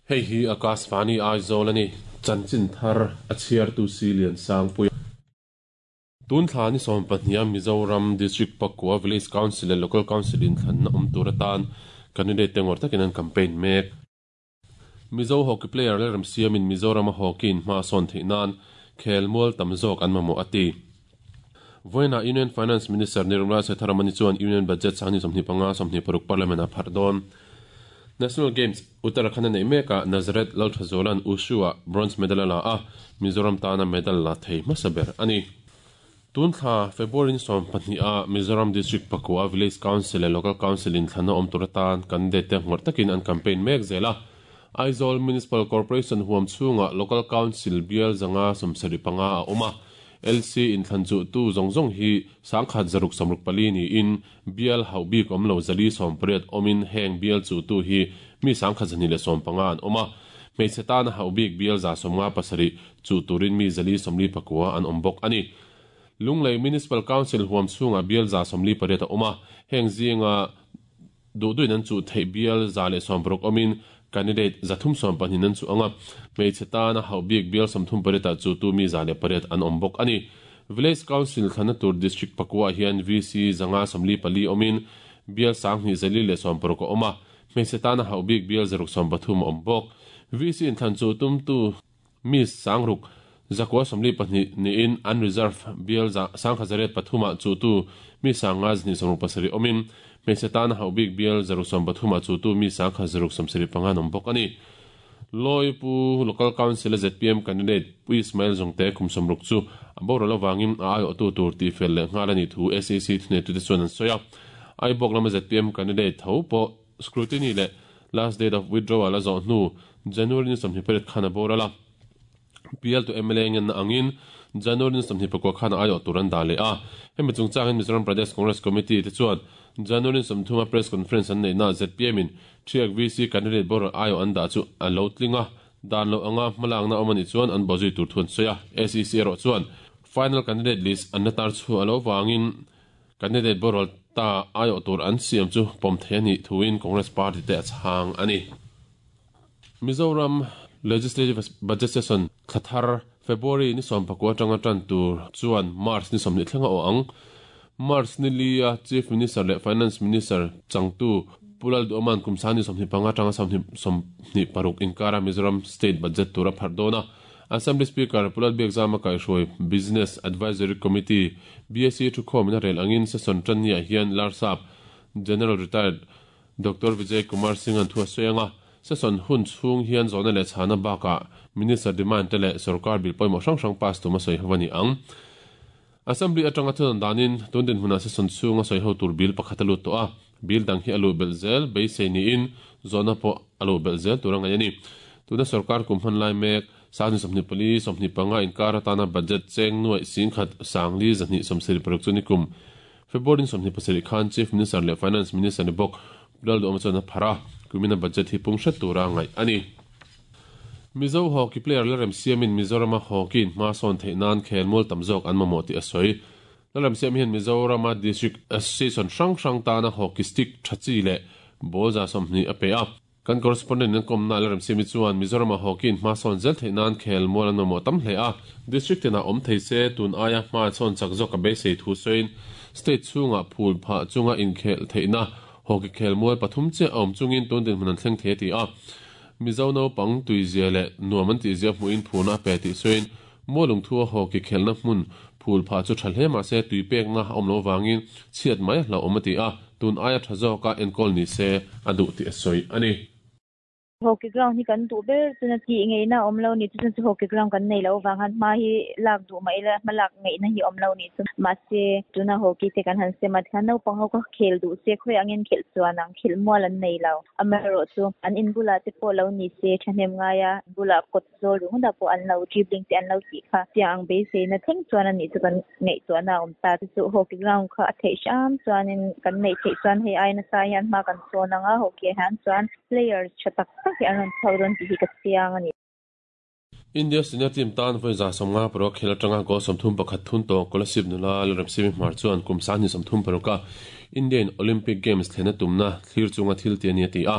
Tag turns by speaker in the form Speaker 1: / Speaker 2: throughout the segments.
Speaker 1: Hei hi Akashvani Aizawl a ni. Chanchin thar a chhiartu si Liansangpuia. Tun thla ni sawmpahniha Mizoram District Pakua Village Council leh Local Council inthlanna awm tur atan candidate te ngawr takin an campaign mek. Mizo hockey player Lalremsiamin Mizorama hockey in hma a sawn theih nan khelmual tam zawk an mamawh a ti. Vawiinah Union Finance Minister Nirmala Sitharamani chuan Union Budget sang ni 25, 26 Parliament ah pharh dawn. National Games Uttarakhand a neih mekah Nazareth Lalthazuala'n Wushu-ah bronze medal a la a, Mizoram tana medal la thei hmasa ber a ni. Tun thla February ni 12 ah Mizoram District Pakua Village Council leh Local Council inthlanna awm tur atan candidate te ngawrh takin an campaign mek zel a. Aizawl Municipal Corporation huam chhungah Local Council bial 575 a awm a. LC inthlan chuhtu zawng zawng hi 1664 niin bial hauh bik awm lo 480 awmin heng bial chuhtu hi mi 1215 an awm a. Hmeichhe tana hauh bik bial 157 chuh turin mi 449 an awm bawk a ni. Lunglei Municipal Council huam chhungah bial 148 a awm a, heng zinga duh duhin an chuh theih bial 160 awmin candidate 312 an chuh ang a, hmeichhe tana hauh bik bial 38 ah chuhtu mi 108 an awm bawk a ni. Village Council thlanna tur District pakua ah hian VC 544 awmin bial 2460 a awm a, hmeichhe tana hauh bik bial 630 a awm bawk. VC inthlan chuh tumtu Mi 6942 niin unreserved bial 1803 ah chuhtu mi 5267 awmin, hmeichhe tana hauh bik bial 630 ah chuhtu mi 1675 an awm bawk a ni. Lawi Pu Local Council a zpm candidate Pu Ismail Zongte kum 60 chu a boral avangin a aiawhtu tur tihfel leh nghal a nih thu SEC thuneitute chuan an sawi a. Aibawk lama zpm candidate tho pawh Scrutiny leh last date of withdrawal a zawh hnu January ni 28 khan a boral a, PL to mla ngenna angin January ni 24 khan a aiawh tur an dah leh a. Hemi chungchangin Mizoram Pradesh Congress Committee te chuan January ni 30 a press conference an neihnaah zpm in Thiak VC candidate boral aiawh an dah chu a lo tling a, dan loh anga hmalakna awm a nih chuan an bawhzui tur thu an sawi a. SEC erawh chuan final candidate list an la tar chhuah loh vangin Candidate boral ta aiawh tur an siam chu pawm thei a nih thuin Congress party te a chhang a ni. Mizoram Legislative Budget Session thla thar February ni 19 atanga tan tur chuan March ni 20 thleng a awh ang. March ni li a Chief Minister leh Finance Minister changtu Pu Lalduhawma'n kum sang ni 25 atanga 26 inkara Mizoram State Budget tur a pharh dawn a. Assembly Speaker Pu Lalbiakzama kaihhruai Business Advisory Committee, BAC, thukhawmin a rel angin session tanniah hian Larsap General Retired Doctor Vijay Kumar Singh-a'n thu a sawi ang a, session hun chhung hian zawhna leh chhana bakah Minister demand te leh sorkar bill pawimawh hrang hrang pass tum a sawi ho a ni ang. Assembly atanga thunawn danin tun dinhmunah session chhunga sawi ho tur bill pakhat a lut tawh a, bill dang hi a luh belh zel beisei niin zawhna pawh a luh belh zel tur a ngaih a ni. Tuna sorkar kum hman lai mek sang ni 24, 25 inkar atana budget cheng nuaih 10,000 sangli 276 chu nikum February ni 27 khan Chief Minister leh Finance Minister ni bawk Pu Lalduhawma chuan a pharh a, kumina budget hi pung hret tura ngaih a ni. Mizo hockey player Lalremsiamin Mizorama hockey in hma sawn theih nan khelmual tam zawk an mamawh tih a sawi. Lalremsiam hian Mizorama District Association hrang hrang tana hockey stick tha chi leh ball 20 a pe a. Kan correspondent in an kawmna Lalremsiami chuan Mizorama hockey in hma sawn zel theih nan khelmual an mamawh tam hle a. District tinah awm thei se tun aia hma sawn chak zawk a beisei thu sawiin state chhungah phul phah chunga inkhelh theihna hockey khelmual pathum chiah a awm chungin tun dinhmun an thleng thei a ti a. Mizo naupang tuizia leh nuam an tihzia hmuhin phurna a pe tih sawiin Mualungthua hockey khelhna hmun phul phah chu tha hle mahse tui pekna a awm loh avangin chhiat mai a hlauhawm a ti a, tun aia tha zawka enkawl ni se a duh tih a sawi a ni.
Speaker 2: Hockey ground hi kan duh ber chuna tih ngeihna a awm lo ni chu chuan chu hockey ground kan nei loh avang khan hma hi lak duh mah ila hma lak ngeihna hi a awm lo ni chu. Mahse tuna hockey te kan han sem a tikhan naupang ho kha khel duh se khawiah angin khelh chuan ang khelh mual an nei lo. Amaherawhchu, an in bulah te pawh lo ni se, thahnem ngaia bulah kawt zawl ringawtah pawh an lo dribbling te an lo tih kha tiang ang beiseina thleng chuan a nih chu kan ngaihtuahna a awm ta. Chu chu hockey ground kha a theih hram chuanin kan neih theih chuan hei ai nasa hian hma kan sawn ang a, hockey ah hian chuan players tha tak tak hi an rawn chhuak dawn tih hi ka chiang a ni.
Speaker 1: India senior team tan vawi 56 khel atanga goal 31 thun tawh Kolasib nula Lalremsimi Hmar chuan kum 36 a Indian Olympic Games thlenna tumna thlir chunga thil ti a ni a ti a.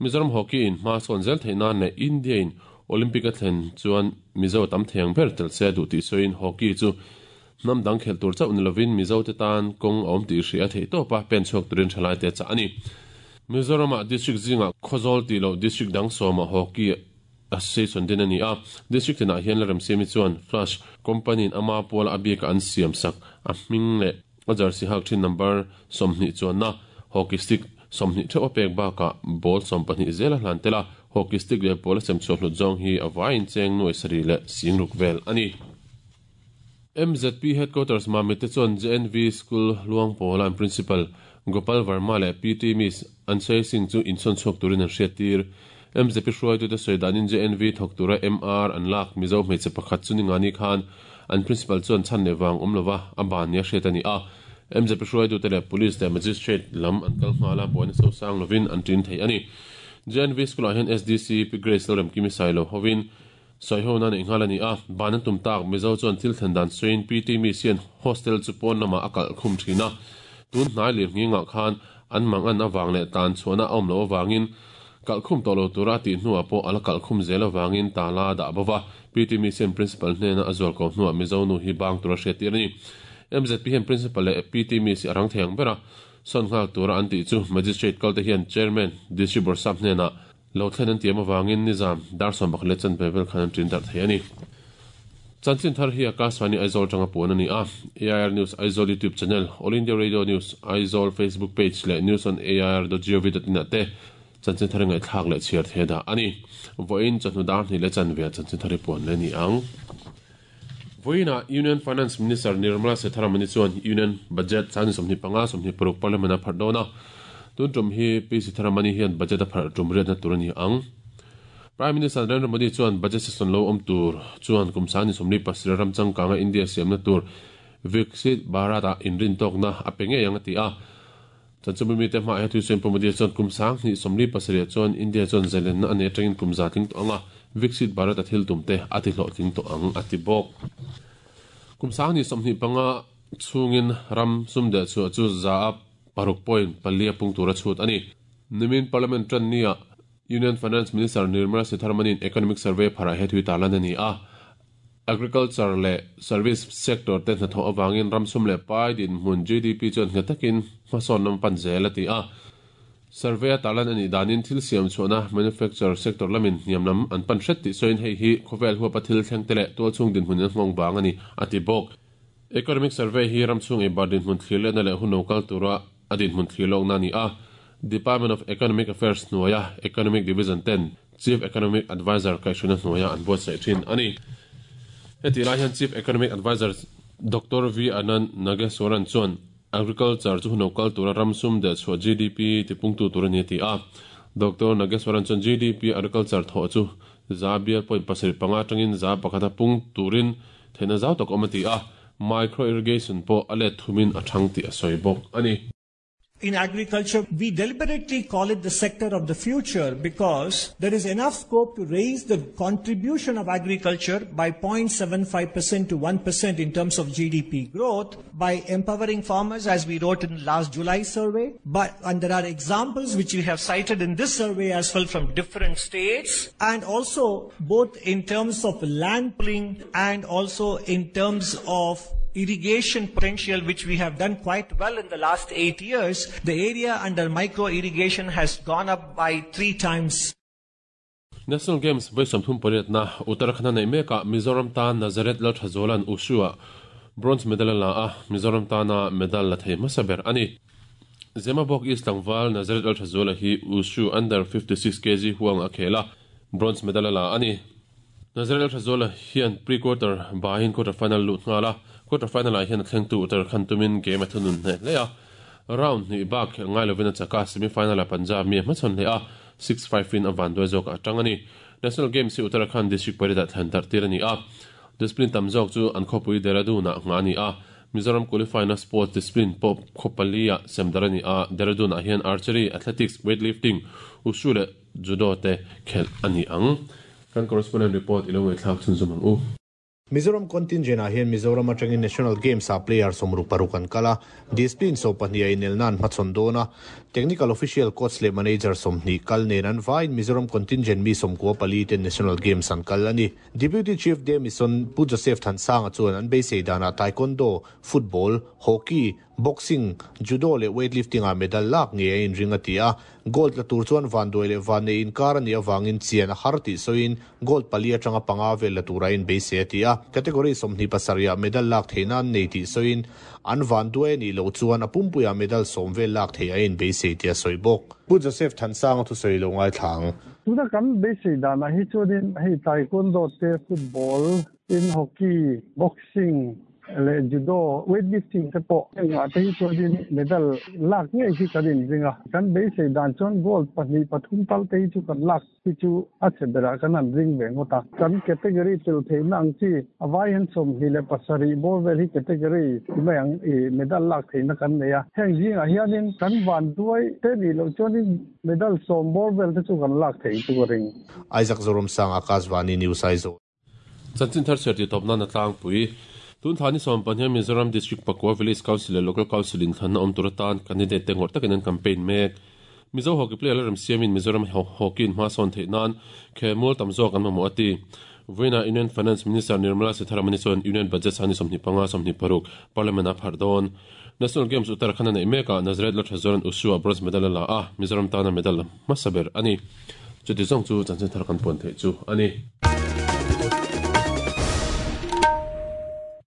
Speaker 1: Mizoram hockey in hma sawn zel theih nan leh India in Olympic a thlen chuan Mizo tam thei ang ber tel se a duh tih sawiin hockey chu hnam dang khelh tur chauh ni lovin Mizo te tan kawng a awm tih hria a theih tawp a, pen chhuak turin thalai te a chah a ni. Mizoramah district zingah Khawzawl tih loh district dang sawmah hockey association din a ni a, district tinah hian Lalremsiami chuan Flash company in ama puala a bika an siam sak a hming leh a jersey hak thin number 20 chuanna hockey stick 20 theuh a pek bakah ball 12 zel a hlan tel a, hockey stick leh ball a sem chhuah hlut zawng hi a vaiin cheng nuai sarih leh singruk vel a ni. MZP Headquarters Mamit te chuan JNV School Luangpawla an Principal Gopal Verma leh PT Miss Anshay Singh chu insawn chhuak turin an hriattir. MZP hruaitute sawi danin JNV thawk tura MR an lak Mizo hmeichhe pakhat chu ningani khan an Principal chuan chhan leh vang awm lova a ban nia hriat a ni a. MZP hruaitute leh Police leh Magistrate lam an kal nghal a, buaina sosang lovin an tin thei a ni. JNV School-ah hian SDC Pi Grace Lalremkimi Sailo hovin Sawiho na neih nghal a ni a, ban an tum tak Mizo chuan thil thlen dan sawiin PT Miss hian hostel chu pawn lamah a kalh khum thin a, tun hnai lir nghingah khan an mang an avang leh tan chhuahna a awm loh avangin kalh khum tawh lo tura a tih hnuah pawh a la kalh khum zel avangin tala a dah bova, PT Miss hian Principal hnena a zual ko hnuah Mizo nu hi bang tura hriattir a ni. MZP hian Principal leh PT Miss hi a rang thei ang ber a, sawn nghal tura an tih chu Magistrate kalte hian Chairman District Bawrhsap hnenah Lo thlen an tiam avangin nizam dar sawm pakhat leh chanve vel khan an ṭin darh thei a ni. Chanchin thar hi Akashvani Aizawl atanga puan a ni a, AIR News Aizawl YouTube channel, All India Radio News Aizawl Facebook page leh news on air dot gov dot in ah te chanchin thar i ngaihthlak leh chhiar thei a dah a ni. Vawiin chawhnu dar hnih leh chanve ah chanchin thar i puan leh a ni ang. Vawiinah Union Finance Minister Nirmala Sitharaman-i chuan Union Budget 25 26 Parliament a pharh dawn a, tun tum hi Pi Sitharaman-i hian budget a pharh tum riatna tur a ni ang. Prime Minister Narendra Modi chuan budget session lo awm tur chuan kum 27 ram changkanga India siamna tur Viksit Bharat-ah inrintawkna a pe ngei ang a ti a. Chanchinbu mite hmaah hian Thusawi Pu Modi chuan kum 2027 chuan India chuan zalenna a nei atangin kum za tling tawh ang a, Viksit Bharat a thil tum te a ti hlawhtling tawh ang a ti bawk. Kum 2025 chhungin ram sum deh chhuah chu za a paruk point pali a pung tur a chhut a ni. Nimin Parliament tan nia Union Finance Minister Nirmala Sitharaman-in Economic Survey pharah he thui tarlan a ni a. Agriculture leh Service sector te hnathawh avangin ram sum leh pai dinhmun GDP chuan nghet takin hmasawn lam a pan zel a ti a. Survey a tarlan a nih danin thil siam chhuahna manufacture sector lamin hniam lam an pan hret tih sawiin hei hi khawvel huapa thil thleng te leh tualchhung dinhmun in a nghawng vang a ni a ti bawk. Economic Survey hi ram chhung eibar dinhmun thlir lehna leh hun lo kal tura a dinhmun thlir lawkna a ni a. Department of Economic Affairs hnuaia Economic Division ten Chief Economic Adviser kaihhruaina hnuaia an buatsaih thin a ni. Hetih lai hian Chief Economic Adviser Doctor V Anand Nageswaran chuan Agriculture chu hun lo kal tura ram sum deh chhuah GDP tipungtu tur a ni a ti a. Doctor Nageswaran chuan GDP Agriculture thawh chu za bial point pasarih panga atangin za pakhata pung turin theihna zau tak awm a ti a, micro irrigation pawh a let thumin a thang tih a sawi bawk a ni.
Speaker 3: In agriculture, we deliberately call it the sector of the future because there is enough scope to raise the contribution of agriculture by 0.75% to 1% in terms of GDP growth by empowering farmers, as we wrote in last July survey. And there are examples which we have cited in this survey as well from different states, and also both in terms of land pooling and also in terms of irrigation potential, which we have done quite well in the last 8 years. The area under micro irrigation has gone up by 3 times.
Speaker 1: National Games vawi sawmthum pariatna Uttarakhand a neih mekah Mizoram tan Nazareth Lalthazuala'n Wushu-ah bronze medal a la a, Mizoram tana medal la thei hmasa ber a ni. Zemabawk East tlangval Nazareth Lalthazuala hi Wushu under 56 kg huang a khel a, bronze medal a la a ni. Nazareth Lalthazuala hian pre-quarter bahin quarter final lut nghal a, quarter final-ah hian a thlengtu Uttarakhand tumin game a thunun hneh hle a, round hnih bak khelh ngai lovin a chak a, semi final-ah Punjab mi a hmachhawn hle a, six five in a vanduai zawk a tang a ni. National Games hi Uttarakhand district pariat ah thlan darh tir a ni a, discipline tam zawk chu an khawpui Dehradun ah nghah a ni a, Mizoram qualify na sports discipline pawh khaw pali ah sem darh a ni a, Dehradun ah hian archery, athletics, weightlifting, wushu leh judo te khelh a ni ang. Kan correspondent report i lo ngaihthlak chhunzawm ang u.
Speaker 4: Mizoram contingent ah hian Mizoram atangin National Games ah player 66 an kal a, discipline 12 a inelna an hmachhawn dawn a. Technical official, coach leh manager 20 kal nen an vaiin Mizoram contingent mi 94 ten National Games an kal a ni. Deputy Chief de Mission Pu Joseph Thansanga chuan an beisei danah Taekwondo, Football, Hockey, Boxing, Judo leh Weightlifting ah medal lak ngei a inring a ti a. Gold la tur chuan vanduai leh vannei inkar a nih avangin chian a har tih sawiin gold pali atanga panga vel la tura inbeisei a ti a. Category 27 ah medal lak theihna an nei tih sawiin an vanduai a nih loh chuan a pumpuiah medal 10 vel lak theih a inbeisei tih a sawi bawk. Pu Joseph Thansanga thusawi lo ngaithla ang.
Speaker 5: Tuna kan beisei danah hi chuanin hei Taekwondo te, Football in Hockey, Boxing leh Judo, Weightlifting te pawh engah te hi chuanin medal lak ngei hi kan inring a. Kan beisei dan chuan gold pahnih pathum tal te hi chu kan lak hi chu a chhe berah kan han ring ve ngawt a. Kan category tel theihna ang chi a vai hian 27 bawr vel hi category ti mai ang i medal lak theihna kan nei a. Heng zingah hianin kan vanduai te nih loh chuanin medal 10 bawr vel te chu kan lak theih chu ka ring.
Speaker 4: Isaac Zoramsanga, Akashvani News Aizawl.
Speaker 1: Chanchin thar chhiar tih tawp nan a tlangpui. Tun thla ni 15 Mizoram District pakua Village Council leh Local Council inthlanna awm tur atan candidate te ngawrh takin an campaign mek. Mizo hockey player la remsiamin Mizoram hockey in hma sawn theih nan khelmual tam zawk an mamawh a ti. Vawiinah Union Finance Minister Nirmala Sitharaman-i chuan Union Budget sang ni 25 26 Parliament-ah a pharh dawn. National Games Uttarakhand a neih mekah Nazareth Lalthazuala'n Wushu-ah bronze medal a la a, Mizoram tana medal la hmasa ber a ni. Chuti zawng chu chanchin thar kan puan theih chu a ni.